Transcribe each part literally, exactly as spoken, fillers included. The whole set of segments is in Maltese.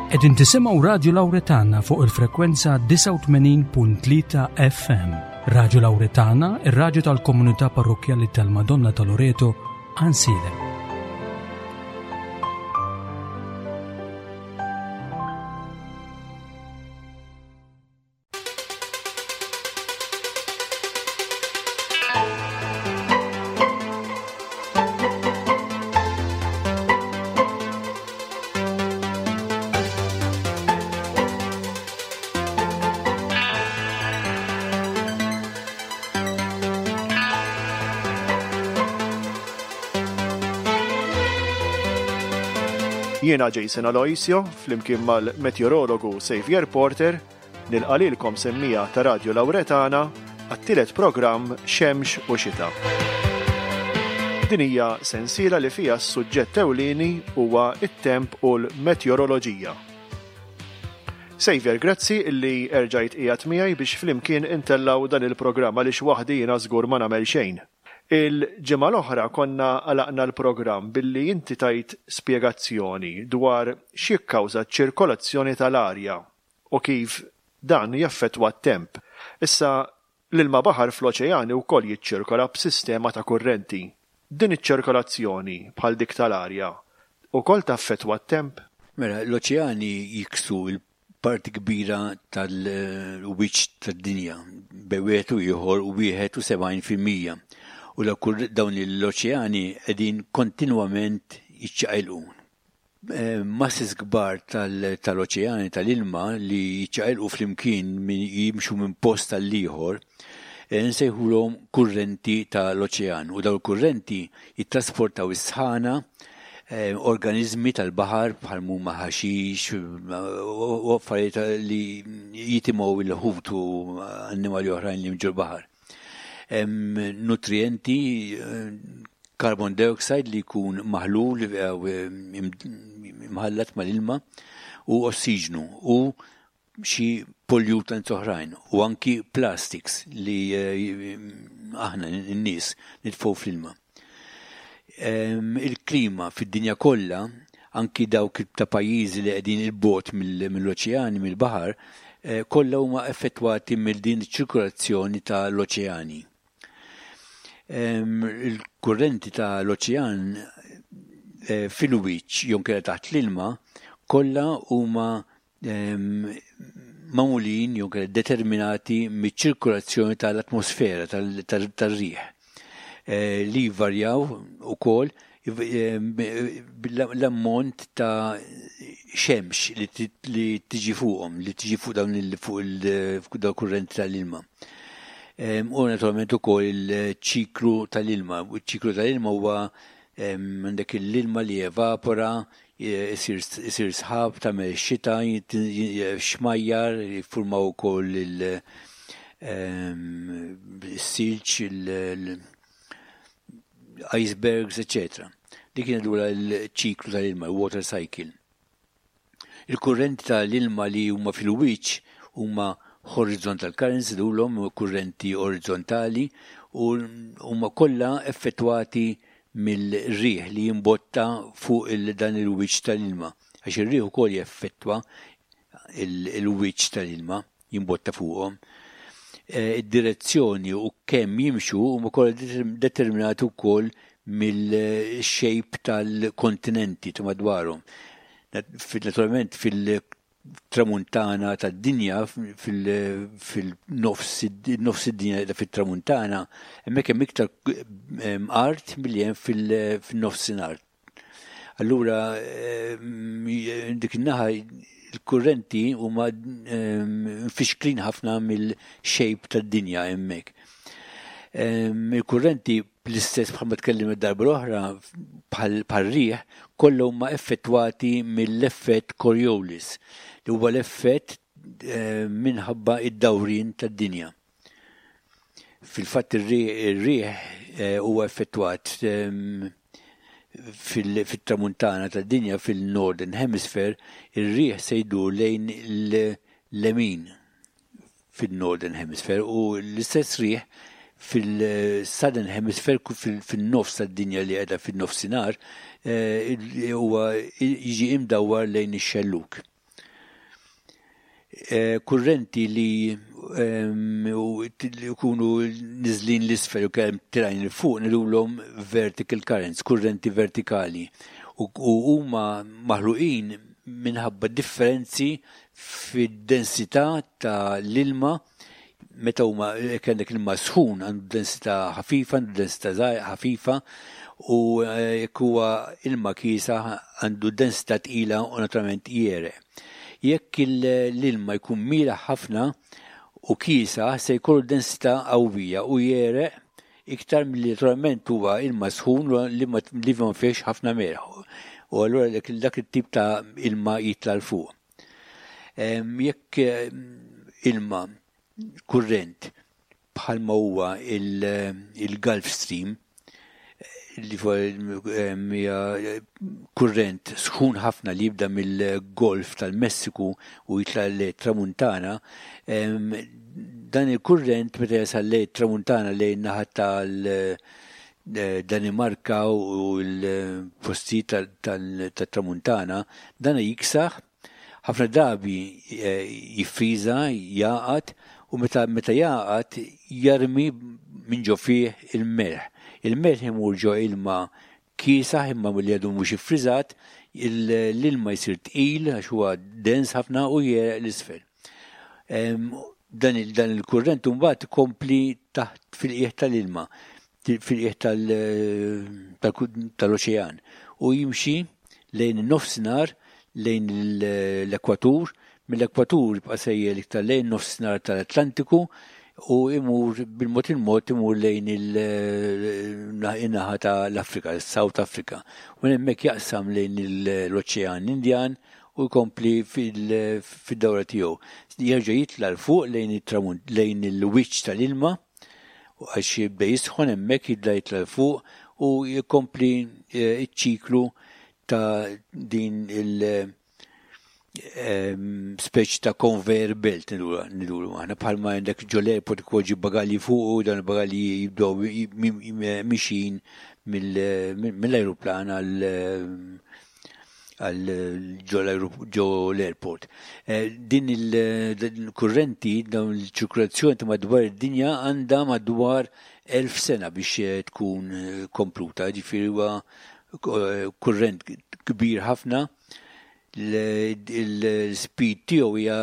Qegħdin tisimgħu Radio Lauretana fuq il-frekwenza disgħa u tmenin punt tlieta F M. Radio Lauretana, ir-radju tal-komunità parrokkjali tal-Madonna ta' Loreto, Għajnsielem. Jiena Jason Aloisio, flimkien mal-meteorologu Xavier Porter, nilqa' lilkom semmija ta' Radio Lauretana għat-tielet programm Xemx u Xita. Din hija sensiela li fiha s-suġġett ewlieni huwa it-temp u l-meteoroloġija. Xavier, grazzi illi erġajt qiegħed miegħi biex flimkien intellaw dan il-programm għaliex waħdi jiena żgur ma nagħmel xejn. Il-ġimgħa l-oħra konna għalaqna l-programm billi inti tajt spjegazzjoni dwar x'jikkawża ċ-ċirkolazzjoni tal-arja u kif dan jaffettwa t-temp. Issa l-ilma baħar fl-oċeani wkoll jiċċirkola b'sistema ta' kurrenti. Din iċ-ċirkolazzjoni bħal dik tal-arja wkoll taffettwa t-temp? Mela, l-oċeani jiksu l-parti kbira tal-wiċċ tad-dinja, bejn wieħed u ieħor u wieħed u sebgħin fil-mija. U dawn l-oċeani qegħdin kontinwament jiċċaqilqu. Eh, masses kbar tal-, tal-oċeani tal-ilma li jiċċaqilqu flimkien min-, jimxu minn post għall-ieħor, eh, nsejħulhom kurrenti tal-oċean. U dawn il-kurrenti jittrasportaw is-sħana, eh, organizmi tal-baħar bħal huma ħaxix u affarijiet li jitimgħu il-ħut u annimali oħrajn li jimġu l-baħar. Hemm nutrienti, eh, carbon dioxide li jkun maħlul, eh, imħallat mal-ilma u ossiġnu u xi pollutants oħrajn u anki plastics li, eh, aħna n-nies nitfgħu fl-ilma. Em, il-klima fid-dinja kollha, anki dawk ta' pajjiżi li qegħdin il-bogħod mill-, mill-oċeani, mill-baħar, eh, kollha huma effettwati mill din iċ-ċirkolazzjoni tal-oċeani. Em, il-kurrenti tal-oċean, eh, fil-wiċċ jew inkella taħt l-ilma kollha huma, em, magħmulin jew inkella determinati miċ-ċirkolazzjoni tal-atmosfera tal-, tal-, tar-riħ, eh, li jvarjaw ukoll l-ammont ta' xemx li ti-, li tiġi fuqhom, li tiġi fuq dawn il-, fuq il-, fuq dawn kurrenti tal-ilma. Em, u naturalment ukoll il-ċiklu tal-ilma. U ċ-ċiklu tal-ilma huwa, em, għandek l-ilma li evapora, isir, isir sħab, tagħmel xita, jit-, j-, xmajjar, jiffurmaw ukoll il-, em, il-silġ, il-, il-icebergs, eccetera. Dik kienet lura l-ċiklu tal-ilma, il-water cycle. Il-kurrenti tal-ilma li huma fil-wiċċ huma horizontal currents, dulhom kurrenti orizzontali, u huma kollha effettwati mill-riħ li jimbotta fuq il-, dan il-wiċċ tal-ilma. Għax ir-riħ ukoll jeffettwa il-, il-wiċċ tal-ilma, jimbotta fuqhom. Eh, id-direzzjoni u kemm jimxu huma kollha determ-, determinati wkoll mill-shape tal-kontinenti ta' madwarhom. Nat-, fil-, naturalment fil-tramuntana tad-dinja, fil-, fil-nofs id-, nofs id-dinja ta' fit-tramuntana, hemmhekk hemm iktar, em, art milli hemm fil-, fin-nofsinhar. Allura, em, dik in-naħa il-kurrenti huma, em, mfixklin ħafna mill-shape tad-dinja hemmhekk. Em, il-kurrenti bl-istess bħalma tkellim id-darba l-oħra, bħal, bħal riħ, kollha huma effettwati mill-effett Coriolis, li huwa l-effett, eh, minħabba id-dawrin tad-dinja. Fil-fatt ir-riħ, ir-riħ, eh, huwa effettwat, ehm, fil-, fit-tramuntana tad-dinja, fil-Northern Hemisphere, ir-riħ se jdur lejn l-lemin fil-Northern Hemisphere u l-istess riħ fil-Southern Hemisphere, fil-, fil-nofs tad-dinja li qiegħda fin-nofsinhar, eh, huwa jiġi imdawwar lejn ix-xelluk. Kurrenti li jkunu niżlin 'l isfel u kemm telgħin 'il fuq ngħidulhom vertical currents, kurrenti vertikali. U huma maħluqin minħabba differenzi fid-densità ta' l-ilma. Meta huma kellek ilma sħun, għandu densità ħafifa, għandu densità ħafifa, u jekk huwa ilma kiesaħ, għandu densità tqila u naturalment jegħreq. Jekk l-ilma jkun mielaħ ħafna u kiesaħ, se jkollu densità qawwija u jegħreq iktar milli naturalment huwa ilma sħun li ma li ma fihx ħafna melħ. U allura dak it-tip ta' ilma jitla' 'l fuq. Jekk ilma kurrent bħalma huwa il-Gulf Stream, li hija kurrent sħun ħafna li jibda mill-Golf tal-Messiku u jitla' l-Tramuntana, dan il-kurrent meta jasal lejn Tramuntana, lejn naħa tal-Danimarka u l-postijiet tal-Tramuntana, dan jiksaħ, ħafna drabi jiffriża, jagħqad, u meta meta jagħqad jarmi minn ġo fih il-melħ. Il-melħ imur ġo ilma kiesaħ imma li għadu mhux iffriżat, l-ilma jsir tqil għax huwa dens ħafna u jegħreq 'l isfel. Dan il-kurrent mbagħad ikompli taħt fil-qiegħ tal-ilma, fil-qiegħ tal-oċean, u jimxi lejn in-nofsinhar, lejn l-ekwatur. Mill-ekwatur jibqa' sejjer iktar lejn nofsinhar tal-Atlantiku u imur bil-mod il-mod imur lejn il-naħa tal-Afrika, South Africa. U hemmhekk jaqsam lejn l-Oċean Indjan u jkompli fid-dawra tiegħu. Jerġa' jitla' 'l fuq lejn lejn il-wiċċ tal-ilma għax jibda jisħon hemmhekk, jibda jitla' 'l fuq u jkompli iċ-ċiklu ta' din il- speċi ta' conveyor belt ngħidulu aħna, bħalma għandek ġo l-airport tpoġġi bagalji fuq u dan il-bagalji jibdew mixin mill-aeroplan għal għal ġo l-airport. Din il-kurrenti, dawn il-ċirkolazzjoni ta' madwar id-dinja għandha madwar elf sena biex tkun kompluta, ġifieri huwa kurrent kbir ħafna. Il-speed tiegħu hija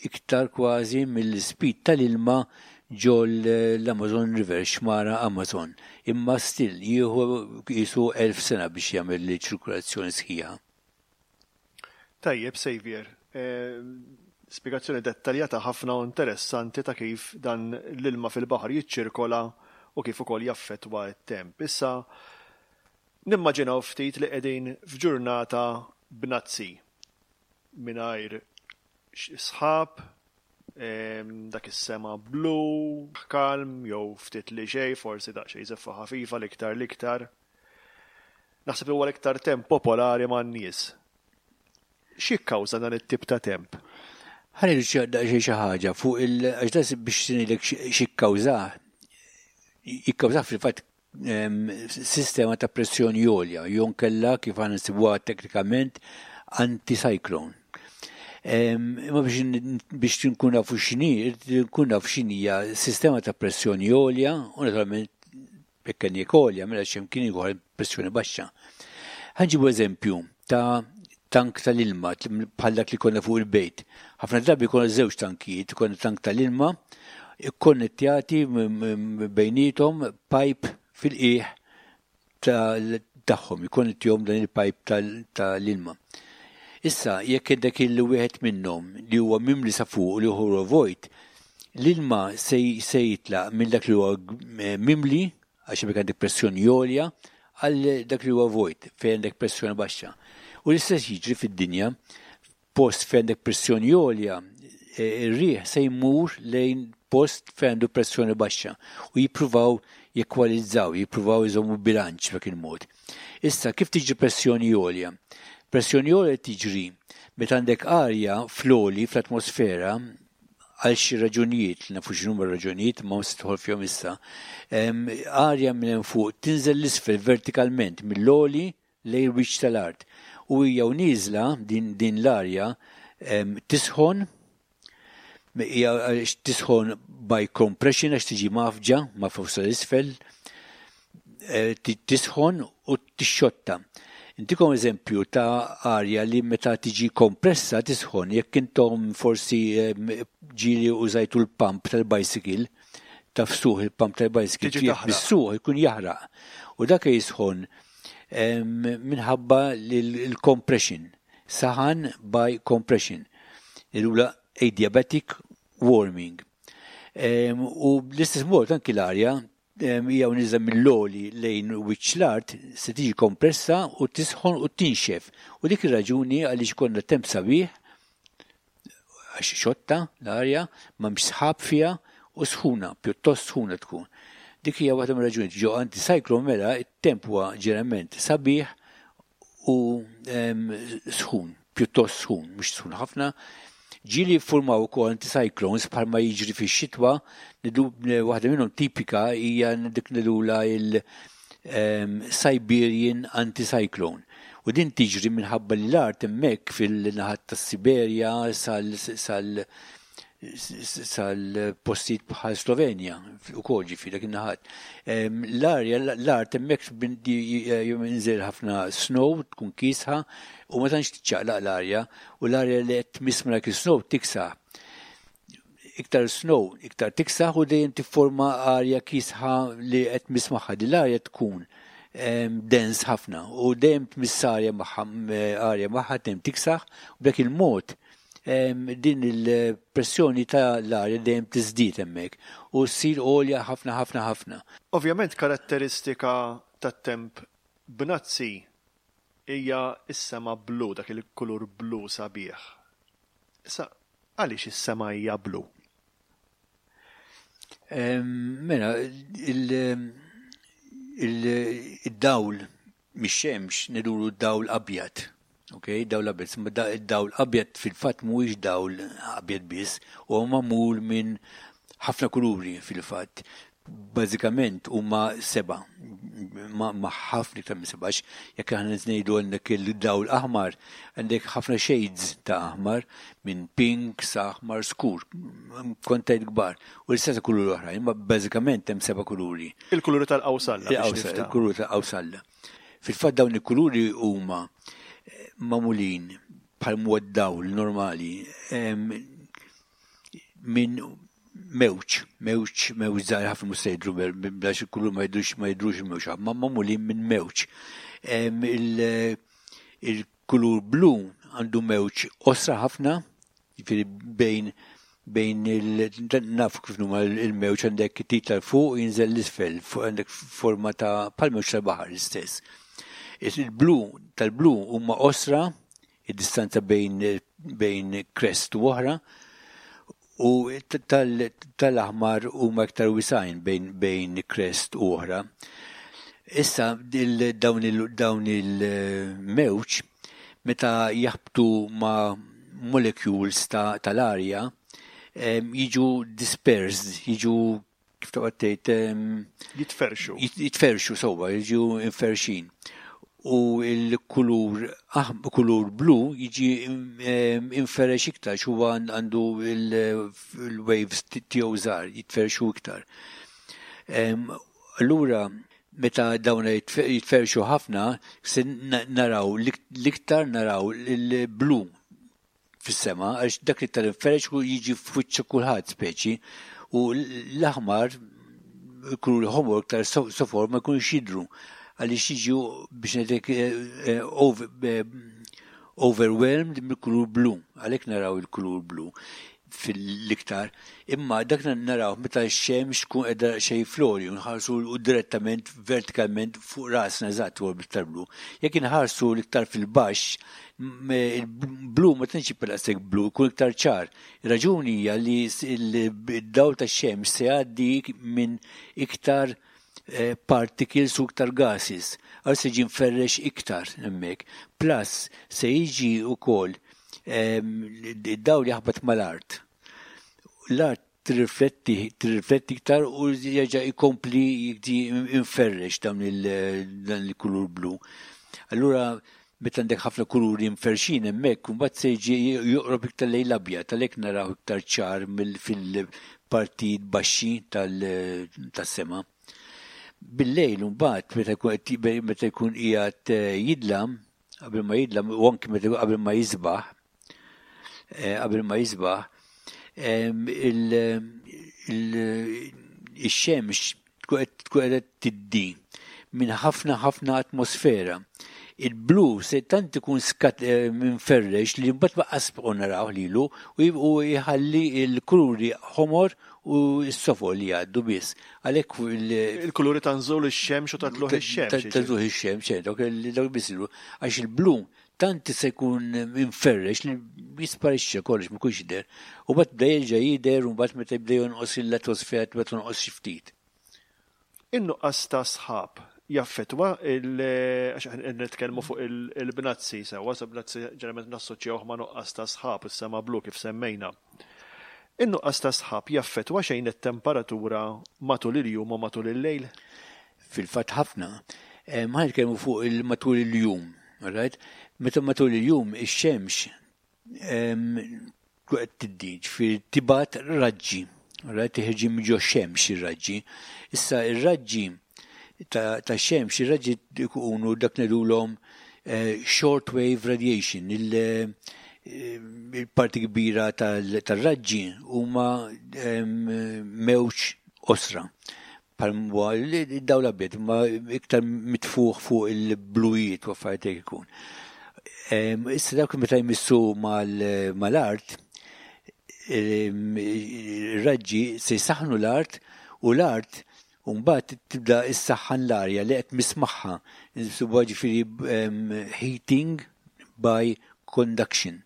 iktar kważi mill-speed tal-ilma ġo l-Amazon River, xmara Amazon. Imma still jieħu qisu elf sena biex jagħmel ċirkolazzjoni sħiħa. Tajjeb, Xavier. Eh, spiegazzjoni dettaljata ħafna u interessanti ta' kif dan l-ilma fil-baħar jiċċirkola u kif ukoll jaffettwa t-temp. Issa nimmaġinaw ftit li qegħdin f'ġurnata bnazzi mingħajr sħab, dak is-sema blu, kalm, jew ftit li xejn, forsi daqsxejn żeffa ħafifa l-iktar l-iktar. Naħseb li huwa l-iktar temp popolari man-nies. X'jikkawża dan it-tip ta' temp? Ħa ngħidu xi ħaġa fuq il għax biex ngħidlek x'jikkawża. Jikkawża fil-fatt sistema ta' pressjoni għolja, jew inkella, kif aħna nsibuha teknikament, anticyclone. Imma biex nkun nafu x'inhi, nkun nafu x'inhija sistema ta' pressjoni għolja, u naturalment jekk għolja, mela x'imkien ieħor pressjoni baxxa. Ħa nġibu eżempju ta' tank tal-ilma bħal dak li konna fuq il-bejt. Ħafna drabi konna żewġ tankijiet, konna tank tal-ilma ikkonnettjati bejniethom pipe fil-qiegħ tagħhom, ikkonnettjahom dan il-pipe tal-ilma. Issa, jekk dak il-wieħed minnhom li huwa mimli sa fuq u li huwa vojt, l-ilma se jitlaq minn dak li huwa mimli, għax għandek pressjoni għolja, għal dak li huwa vojt, fejn għandek pressjoni baxxa. U l-istess jiġri fid-dinja, post fejn għandek pressjoni għolja, e, ir-riħ se jmur lejn post fejn għandu pressjoni baxxa u jippruvaw jekwalizzaw, jippruvaw jżommu bilanċ b'dak il-mod. Issa, kif tiġi pressjoni għolja? Pressjoni għolja tiġri meta għandek arja fl-għoli fl-atmosfera għal xi raġunijiet, li nafu x'inhuma raġunijiet, ma mhux tidħol fihom issa. Arja minn fuq tinżel 'l isfel vertikalment mill-għoli lejn wiċċ tal-art. U hija u nieżla din, din l-arja tisħon. Hija tisħon by compression għax tiġi mgħaffġa ma' fuq sal-isfel, eh, tisħon u tixxotta. Intikom eżempju ta' arja li meta tiġi kompressa tisħon, jekk intom forsi ġieli użajtu l-pump tal-bicycle, tagħfsuh il-pump tal-bicycle, tmissuh ikun jaħraq. U dak jisħon minħabba l-compression, saħan by compression. Illula adiabatic warming. U bl-istess mod anki l-arja hija nieżla mill-għoli lejn wiċċ l-art se tiġi kompressa u tisħon u tinxef. U dik ir-raġuni għaliex ikollna temp sabiħ għax xotta l-arja, m'hemmx sħab fiha u sħuna, pjuttost sħuna tkun. Dik hija waħda mir-raġuni ġo anticyclone mela it-temp huwa ġeneralment sabiħ u sħun, pjuttost sħun, mhux sħun ħafna. Ġieli formaw ukoll anticyclones bħalma jiġri fix-xitwa, waħda minnhom tipika hija dik ngħidulha il-Siberian Anticyclone. U din tiġri minħabba li l-art hemmhekk fil-naħat tas-Siberja sal sal sal-postijiet bħal Slovenja u kol ġifieri dak in-naħat. L-arja, l-art hemmhekk jinżel ħafna snow, tkun kiesħa u ma tantx tiċċaqlaq l-arja u l-arja li qed tmiss ma' dak is-snow tiksaħ. Iktar snow, iktar tiksaħ u dejjem tifforma arja kiesħa li qed tmiss magħha. Din l-arja tkun dens ħafna u dejjem tmiss arja magħha arja magħha dejjem tiksaħ u b'dak il-mod din il-pressjoni ta' l-arja dejjem tiżdied hemmhekk u ssir għolja ħafna ħafna ħafna. Ovvjament karatteristika tat-temp bnazzi hija s-sema blu, dak il-kulur blu sabiħ. Issa għaliex is-sema hija blu? Mela, il-dawl mix-xemx ngħidulu dawl abjad. Ok, dawl abjad. Imma dawl abjad fil-fatt mhuwiex dawl abjad biss, huwa magħmul minn ħafna kuluri fil-fatt. Bażikament huma seba', ma ħafna iktar minn seba', jekk aħna ngħidu għandek il-dawl aħmar, għandek ħafna shades ta' aħmar minn pink sa aħmar skur, kontajt kbar, u l-istess kuluri oħra, imma bażikament hemm seba' kuluri. Il-kuluri tal-qawsalla. Il-kuluri tal-qawsalla. Fil-fatt dawn il-kuluri huma magħmulin bħal mod dawl normali minn mewġ, mewġ, mewġ żgħar ħafna mhux se jidhru biex il-kulur ma jidhrux ma jidhrux il-mewġ, ma magħmulin minn mewġ. Il-kulur blu għandu mewġ qosra ħafna, jiġifieri bejn bejn il naf kif huma il-mewġ għandek titla' 'l fuq jinżel 'l isfel, fuq għandek forma ta' bħal mewġ tal-baħar l-istess. Il-blu tal-blu huma qosra, id-distanza bejn bejn crest u oħra, u tal-aħmar huma iktar wisgħin bejn bejn crest u oħra. Issa dawn il-mewġ meta jaħbtu ma' molecules tal-arja jiġu dispersed, jiġu kif toqgħod tgħid Jitferxu. Jitferxu sewwa, jiġu inferxin. U il-kulur kulur blu jiġi inferex iktar, huwa għandu il-waves tiegħu żgħar, jitferxu iktar. Allura meta dawn jitferxu ħafna, se naraw l-iktar naraw il-blu fis-sema, għax dak li tal-inferex u jiġi f'wiċċ kulħadd speċi, u l-aħmar kulur ħomor iktar sofor ma jkunux jidhru għaliex jiġu biex ngħidlek overwhelmed mill-kulur blu, għalhekk naraw il-kulur blu fil-iktar. Imma dak naraw meta x-xemx tkun qiegħda xejn flori u nħarsu direttament vertikalment fuq rasna eżatt huwa bl-iktar blu. Jekk inħarsu l-iktar fil-baxx, il-blu ma tantx jibqa' daqshekk blu, jkun iktar ċar. Ir-raġuni hija li d-dawl tax-xemx se jgħaddi minn iktar particles u iktar gases. Għal se jiġi mferrex iktar hemmhekk. Plus se jiġi wkoll id-dawl jaħbat mal-art. L-art tirrifletti tirrifletti iktar u jerġa' jkompli jiġi inferrex dawn il-kulur blu. Allura Meta għandek ħafna kuluri mferxin hemmhekk, mbagħad se jiġi joqrob iktar lejn l-abjad, għalhekk naraw iktar ċar fil-partijiet baxxi tas-sema. Bil-lejl mbagħad meta jkun qiegħed jidlam, qabel ma jidlam u anki meta qabel ma jisbaħ, qabel ma jisbaħ, il-xemx tkun qiegħda tiddi minn ħafna ħafna atmosfera. Il-blu se tant ikun skat minferrex li mbagħad lanqas bqgħu naraw lilu u jħalli l-kuluri ħomor u s-sofor li jgħaddu biss. Għalhekk il-kuluri ta' nżul ix-xemx u ta' tlugħ ix-xemx. Ta' tlugħ ix-xemx, dawk biss għax il-blu tant se jkun minferrex li jisparixxa kollox, ma jkunx jidher. U mbagħad bda jerġa' jidher u mbagħad meta jibda jonqos l-atmosfera tibda tonqos xi ftit. In-nuqqas ta' sħab jaffetwa għax nitkellmu fuq il-bnazzi sewwa, sa bnazzi ġeneralment nassoċjawh ma' nuqqas ta' sħab, is-sema blu kif semmejna. In-nuqqas ta' sħab jaffetwa xejn it-temperatura matul il-jum u matul il-lejl? Fil-fatt ħafna. Ma nitkellmu fuq il-matul il-jum, right? Meta matul il-jum ix-xemx qed tiddi, ġifieri tibgħat raġġi, right? Tiħirġi minn ġo xemx ir-raġġi. Issa ir-raġġi ta' xemx, ir-raġġi ikunu dak ngħidulhom short wave radiation, il-parti kbira tal-raġġi huma mewġ qosra. Bħal dawl abjad, ma iktar mitfuħ fuq il-blujiet u affarijiet ikun. Issa dawk meta jmissu mal-art, ir-raġġi se jsaħħnu l-art u l-art mbagħad tibda issaħħan l-arja li qed tmiss magħha. Insibuha ġifieri heating by conduction.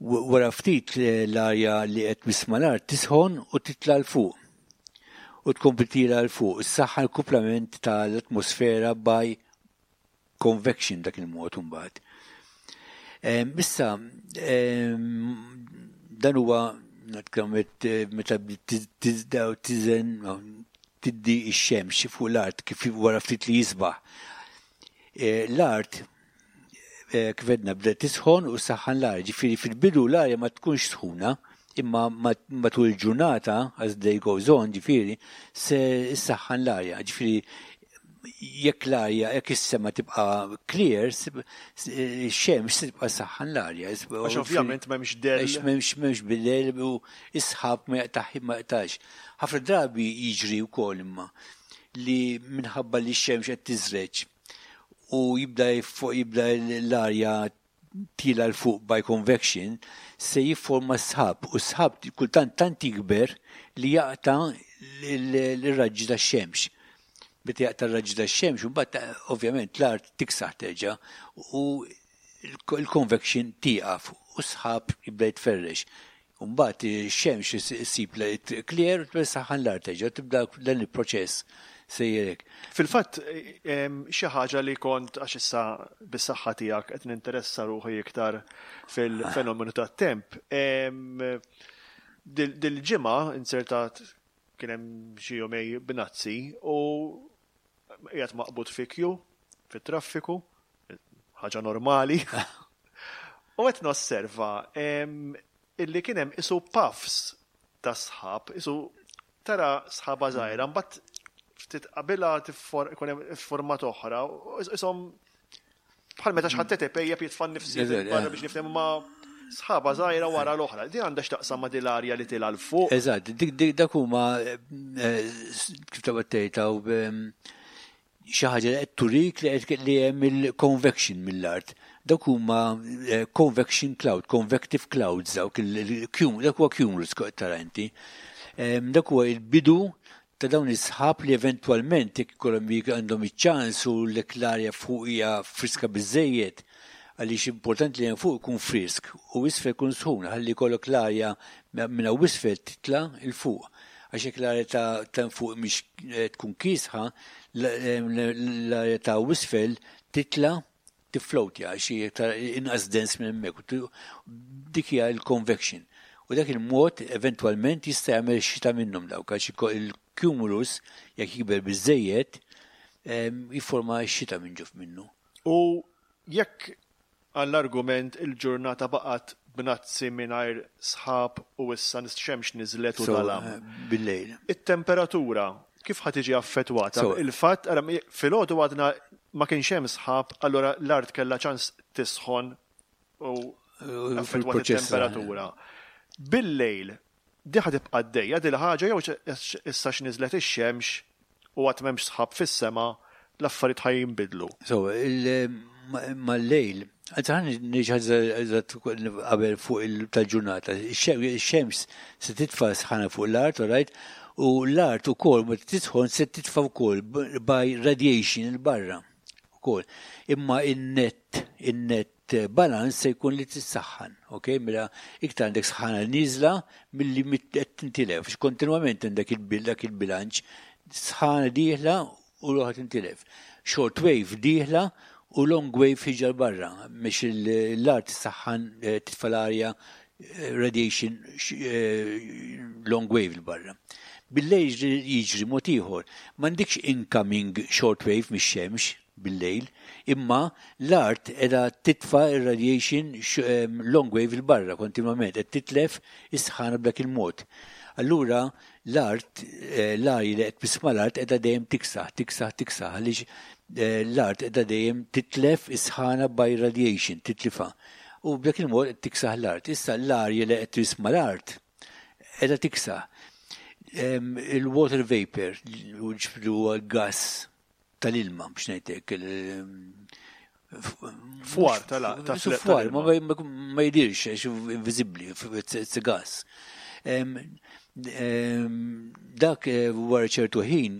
Wara ftit l-arja li qed tmiss mal-art tisħon u titla' 'l fuq. U tkompli tila 'l fuq. Issaħħan l-kumplament tal-atmosfera by convection dak il-mod mbagħad. Issa dan huwa meta tiżen tiddi x-xemx fuq l-art kif wara ftit li jisbaħ. L-art kif għedna bda tisħon u saħħan l-arja, ġifieri fil-bidu l-arja ma tkunx sħuna, imma matul il-ġurnata, as day goes on, ġifieri, se issaħħan l-arja, ġifieri jekk l-arja, jekk is-sema tibqa' clear, ix-xemx se tibqa' saħħan l-arja. Għax ovvjament m'hemmx del. Għax m'hemmx m'hemmx bidel u is-sħab ma jaqtax ma jaqtax. Ħafna drabi jiġri wkoll imma li minħabba li x-xemx qed tiżreġ u jibda jibda l-arja tila 'l fuq by convection se jifforma sħab u sħab kultant tant jikber li jaqta' l-raġġi tax-xemx. Meta jaqta' r-raġġi tax-xemx, mbagħad ovvjament l-art tiksaħ terġa' u l-convection tieqaf u sħab jibda jitferrex. Mbagħad ix-xemx issib clear u tibda saħħan l-art terġa' tibda dan il-proċess sejjerek. Fil-fatt, xi ħaġa li kont għax issa bis-saħħa tiegħek qed ninteressa ruħi iktar fil-fenomenu tat-temp. Dil-ġimgħa insertat kien hemm xi jumej bnazzi u qiegħed maqbud fi queue fit-traffiku, ħaġa normali. U qed nosserva illi kien hemm isu puffs ta' sħab, isu tara sħaba żgħira, mbagħad ftit qabilha ikun hemm format oħra, ishom bħal meta xi ħadd ipejjep jitfa' nifsi barra biex nifhem ma sħaba żgħira wara l-oħra. Din għandha x'taqsam ma' din l-arja li tila 'l fuq. Eżatt, dik dak huma kif ta' tgħid xi ħaġa li qed turik li li hemm il-convection mill-art. Dak huma convection cloud, convective clouds dawk il dak huwa cumulus tara inti. Dak huwa il-bidu ta' dawn is-sħab li eventwalment jekk ikollhom għandhom iċ-ċans u l-arja fuq hija friska biżejjed, għaliex importanti li hemm fuq ikun frisk u isfel ikun sħun, ħalli jkollok l-arja minn hawn isfel titla' 'l fuq. Għax jekk l-arja ta' fuq mhix tkun kiesħa, l-arja ta' isfel titla' tifflowtja għax hija inqas dens minn hemmhekk. Dik hija l-convection. U dak il-mod eventwalment jista' jagħmel xita minnhom dawk għax il-cumulus jekk jikber biżejjed jifforma xita minn ġuf minnu. U Jekk għall-argument il-ġurnata baqgħet bnazzi mingħajr sħab u issa x-xemx niżlet u So, dalam. eh, Bil-lejl. It-temperatura kif ħa tiġi affettwata? So- Il-fatt, ara, filgħodu għadna ma kienx hemm sħab, allura l-art kellha ċans tisħon u affettwat fil-proċess, it-temperatura. Bil-lejl, di ħa tibqa' għaddejja dil ħaġa jew issa x'niżlet ix-xemx u għad m'hemmx sħab fis-sema, l-affarijiet ħa jinbidlu. So, il- ma- mal-lejl, għadza ħan nġħazza qabel fuq il-tal-ġurnata, ix-xemx se titfa sħana fuq l-art, all right? U l-art ukoll meta tisħon se titfa wkoll by radiation 'il barra. Ukoll. Imma in-net, in-net balance se jkun li tissaħħan, ok? Mela iktar għandek sħana niżla milli qed tintilef, għax kontinwament għandek il-bil dak il-bilanċ, sħana dieħla u l tintilef. Short wave dieħla u long wave ħierġa 'l barra, mhux l-art saħħan eh, titfa l-arja eh, radiation eh, long wave 'l barra. Bil-lejl jiġri mod ieħor, m'għandekx incoming short wave mix-xemx bil-lejl, imma l-art qiegħda titfa radiation long wave 'il barra kontinwament, qed titlef is-sħana b'dak il-mod. Allura l-art, l-arja li qed tmiss mal-art qiegħda dejjem tiksaħ, tiksaħ, tiksaħ, għaliex l-art qiegħda dejjem titlef is-sħana by radiation, titlifa. U b'dak il-mod qed tiksaħ l-art. Issa l-arja li qed tmiss mal-art qiegħda tiksaħ. Il-water vapor, li huwa gas tal-ilma, biex ngħidlek. Fwar tal Fwar, ma jidirx, għax invisibli, it's a gas. Dak eh, wara ċertu ħin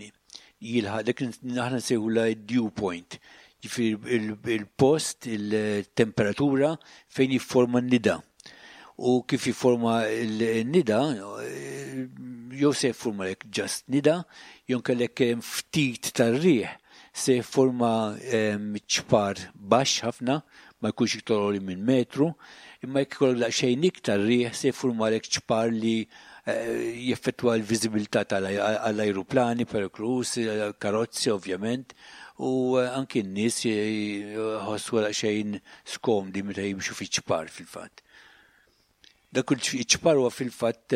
jilħaq dak aħna nsejħu la dew point. Ġifieri il-post, il-temperatura fejn jifforma n-nida. U kif jifforma n-nida, jew se jifforma lek just nida, jew kellek ftit tar-riħ se jifforma ċpar baxx ħafna, ma jkunx iktar għoli minn metru, imma jekk ikollok daqsxejn iktar riħ se jifforma lek ċpar li eh, jeffettwa l-viżibilità tal-ajruplani, perikoluż, karozzi ovvjament, u eh, anki n-nies jħossu daqsxejn skomdi meta jimxu fi ċpar fil-fatt. Dak iċ-ċpar huwa fil-fatt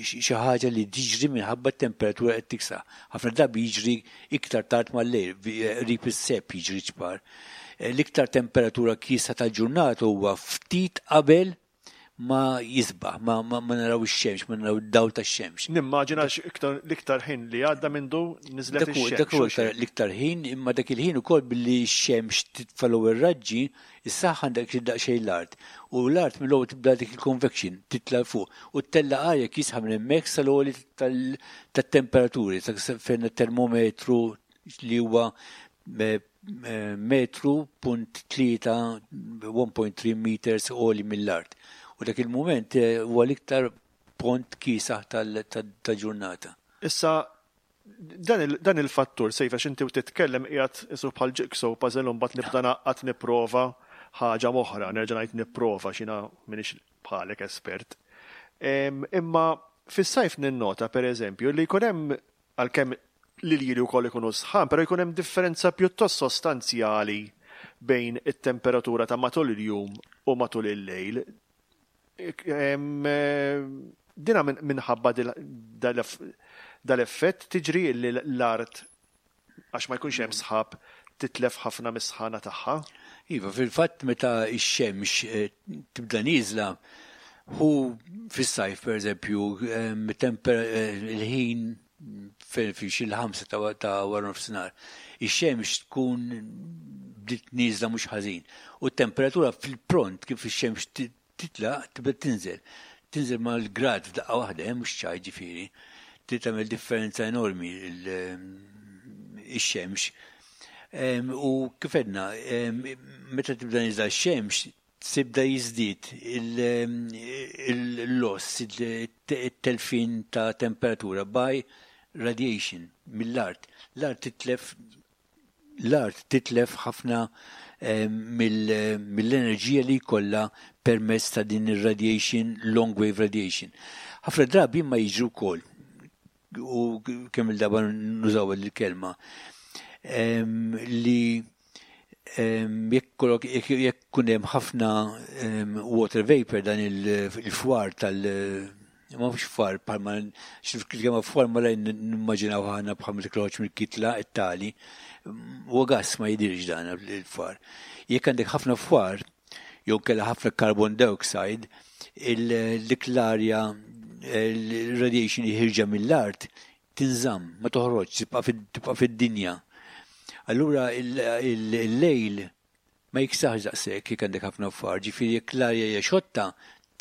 xi ħaġa li tiġri minħabba t-temperatura qed tiksaħ. Ħafna drabi jiġri iktar tard mal-lejl, qrib is-sebħ jiġri ċpar. L-iktar temperatura kiesħa tal-ġurnata huwa ftit qabel ma jisbaħ, ma, ma, ma naraw ix-xemx, ma naraw id-dawl tax-xemx. Nimmaġina l-iktar ħin li għadda mindu niżlet ix-xemx. Dak huwa l-iktar ħin, imma dak il-ħin ukoll billi x-xemx titfa' ir-raġġi, issaħħan dak daqsxejn l-art. U l-art mill-ewwel tibda dik il-convection, titla' fuq. U ttella' arja kiesħa minn hemmhekk sal-għoli tat-temperaturi, fejn termometru li huwa metru punt tlieta, one point three meters għoli mill-art. U dak il-moment eh, huwa l-iktar pont kiesaħ tal-ġurnata. Issa, dan il-fattur, sejfa x'inti u titkellem qiegħed isu bħal jigsaw puzzle u mbagħad nibda naqgħad nipprova ħaġa oħra, nerġa' ngħid nipprova x'jiena m'iniex bħalek espert. Imma fis-sajf ninnota pereżempju li jkun hemm, għalkemm l-iljieli wkoll ikunu sħan, però jkun hemm differenza pjuttost sostanzjali bejn it-temperatura ta' matul il-jum u matul il-lejl. Dina minħabba dal-effett tiġri li l-art, għax ma jkunx hemm sħab, titlef ħafna mis-sħana tagħha. Iva, fil-fatt meta x-xemx eh, tibda nieżla, hu fis-sajf per eżempju, eh, il-ħin fi xi l-ħamsa ta' wara nofsinhar, ix-xemx tkun bdiet nieżla mhux ħażin. U t-temperatura fil-pront kif ix-xemx titla tibda tinżel. Tinżel mal-grad f'daqqa waħda, eh, mhux ċaj ġifieri. Tagħmel differenza enormi ix-xemx. U kif għedna, meta tibda nieżla x-xemx, tibda jiżdied il-loss, il-telfin ta' temperatura by radiation mill-art. L-art titlef l-art titlef ħafna mill-enerġija li jkollha permezz ta' din ir-radiation, long wave radiation. Ħafna drabi ma jiġru wkoll, u kemm il-darba nużaw il-kelma, li Jekk jekk kun hemm ħafna water vapor, dan il-fwar tal- ma mhux fwar bħalma x'kelma fwar ma lejn nimmaġinaw ħana bħal ma tikloġ mill-kitla it-tali, huwa gas, ma jidirx dan il-fwar. Jekk għandek ħafna fwar jew kella ħafna carbon dioxide, dik l-arja, il-radiation li ħierġa mill-art tinżamm, ma toħroġ, tibqa' fid-dinja. Allura il-lejl ma jiksaħx daqshekk jekk għandek ħafna fwar, ġifieri jekk l-arja hija xotta,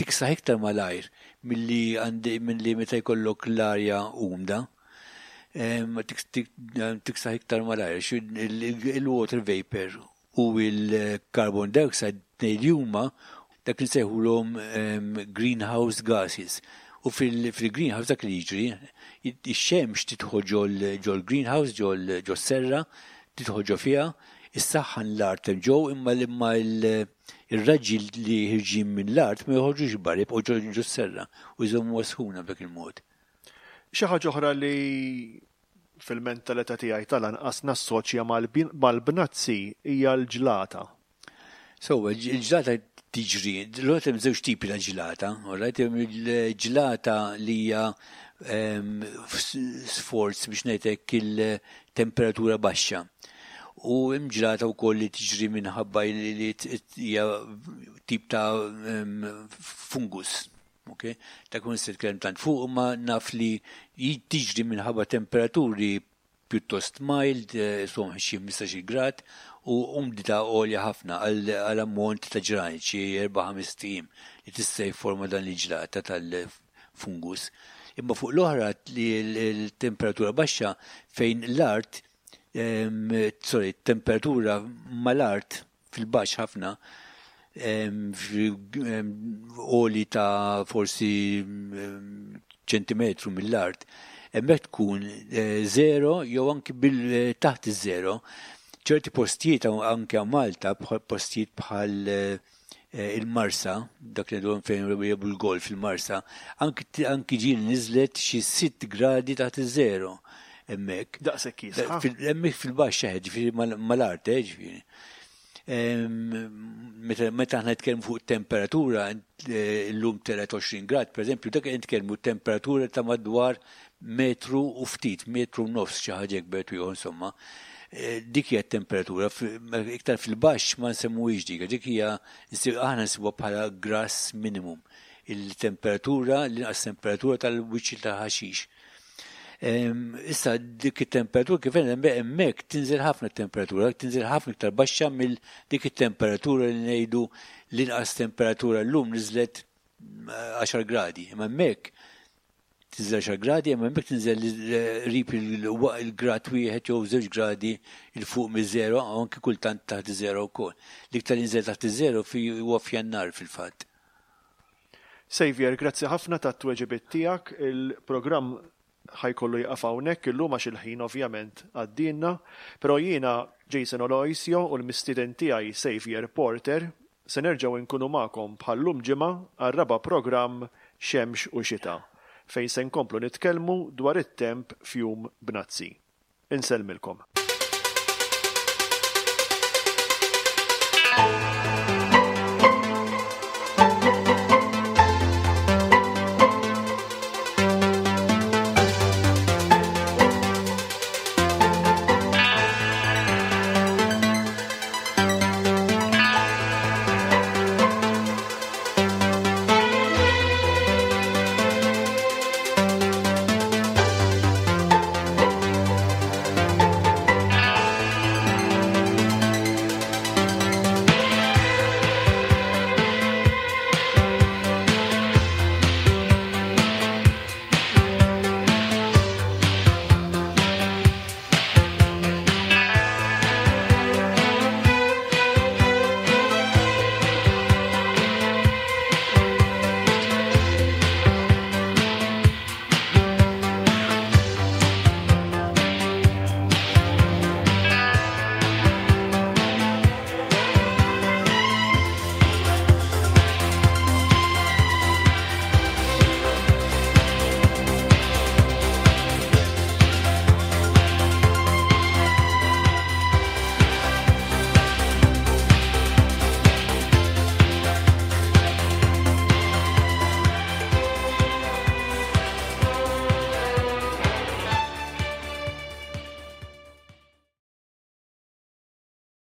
tiksaħ iktar malajr milli milli meta jkollok l-arja umda. Tiksaħ iktar malajr, il-water vapor u il-carbon dioxide tnejn li huma dak li nsejħulhom greenhouse gases. U fil-greenhouse dak li jiġri, ix-xemx tidħol ġol greenhouse, ġol serra, tidħol ġo fiha, issaħħan l-art ġew, imma imma il-raġġi li ħerġin minn l-art ma joħorġux barra, jibqgħu ġo serra u jżommu sħuna b'dak il-mod. Xi ħaġa oħra li fil-mentalità tiegħi tal-anqas nassoċja mal-bnazzi hija l-ġlata. So, il-ġlata tiġri, l-għot hemm żewġ tipi ta' ġlata, alright, hemm il-ġlata li hija sforz biex ngħidlek il-temperatura baxxa. U hemm ġlata wkoll li tiġri minħabba li hija tip ta' fungus. Okay? Ta' kun se tkellem tant fuq, ma naf li tiġri minħabba temperaturi pjuttost mild, eh, som xi ħmistax-il grad, u umdità għolja ħafna għal ammont ta' ġranet, xi erba' ħames ijiem, li tista' jifforma dan il-ġlata tal-fungus. Imma fuq l-oħra li l-temperatura baxxa fejn l-art, sorry, temperatura mal-art fil-baxx ħafna, għoli ta' forsi ċentimetru mill-art, hemmhekk tkun eh, zero jew anki bil taħt iż-zero. Ċerti postijiet anke Malta, postijiet bħal eh, il-Marsa, dak li għandhom fejn jilagħbu l-golf il-Marsa, anki ġieli niżlet xi sitt gradi taħt iż-zero hemmhekk. Daqshekk jisħa. Hemmhekk fil-baxxa, ġifieri mal-art, eh, ġifieri. Meta aħna nitkellmu fuq temperatura, llum telgħet għoxrin grad, per eżempju, dak nitkellmu temperatura ta' madwar metru u ftit, metru u nofs, xi ħaġa hekk jew insomma. Dik hija temperatura, iktar fil-baxx ma nsemmuhiex dik, dik hija aħna nsibuha bħala grass minimum. Il-temperatura, l-inqas temperatura tal-wiċċ tal-ħaxix. Issa dik it-temperatura kif hemmhekk tinżel ħafna temperatura, tinżel ħafna iktar baxxa mill dik it-temperatura li ngħidu l-inqas temperatura llum niżlet għaxar gradi. Imma hemmhekk tinżel għaxar gradi, imma hemmhekk tinżel qrib il-grad wieħed jew żewġ gradi 'il fuq miż-żero, anke kultant taħt iż-żero wkoll. L-iktar jinżel taħt iż-żero huwa f'Jannar fil-fatt. Xavier, grazzi ħafna tat-tweġibiet tiegħek. Il-programm ħa jkollu jieqaf hawnhekk illum għax il-ħin ovvjament għaddielna, però jiena Jason Aloisio u l-mistieden tiegħi Xavier Porter se nerġgħu nkunu magħkom bħallum ġimgħa għar-raba' programm Xemx u Xita, fejn se nkomplu nitkellmu dwar it-temp f'jum bnazzi. Insellmilkom.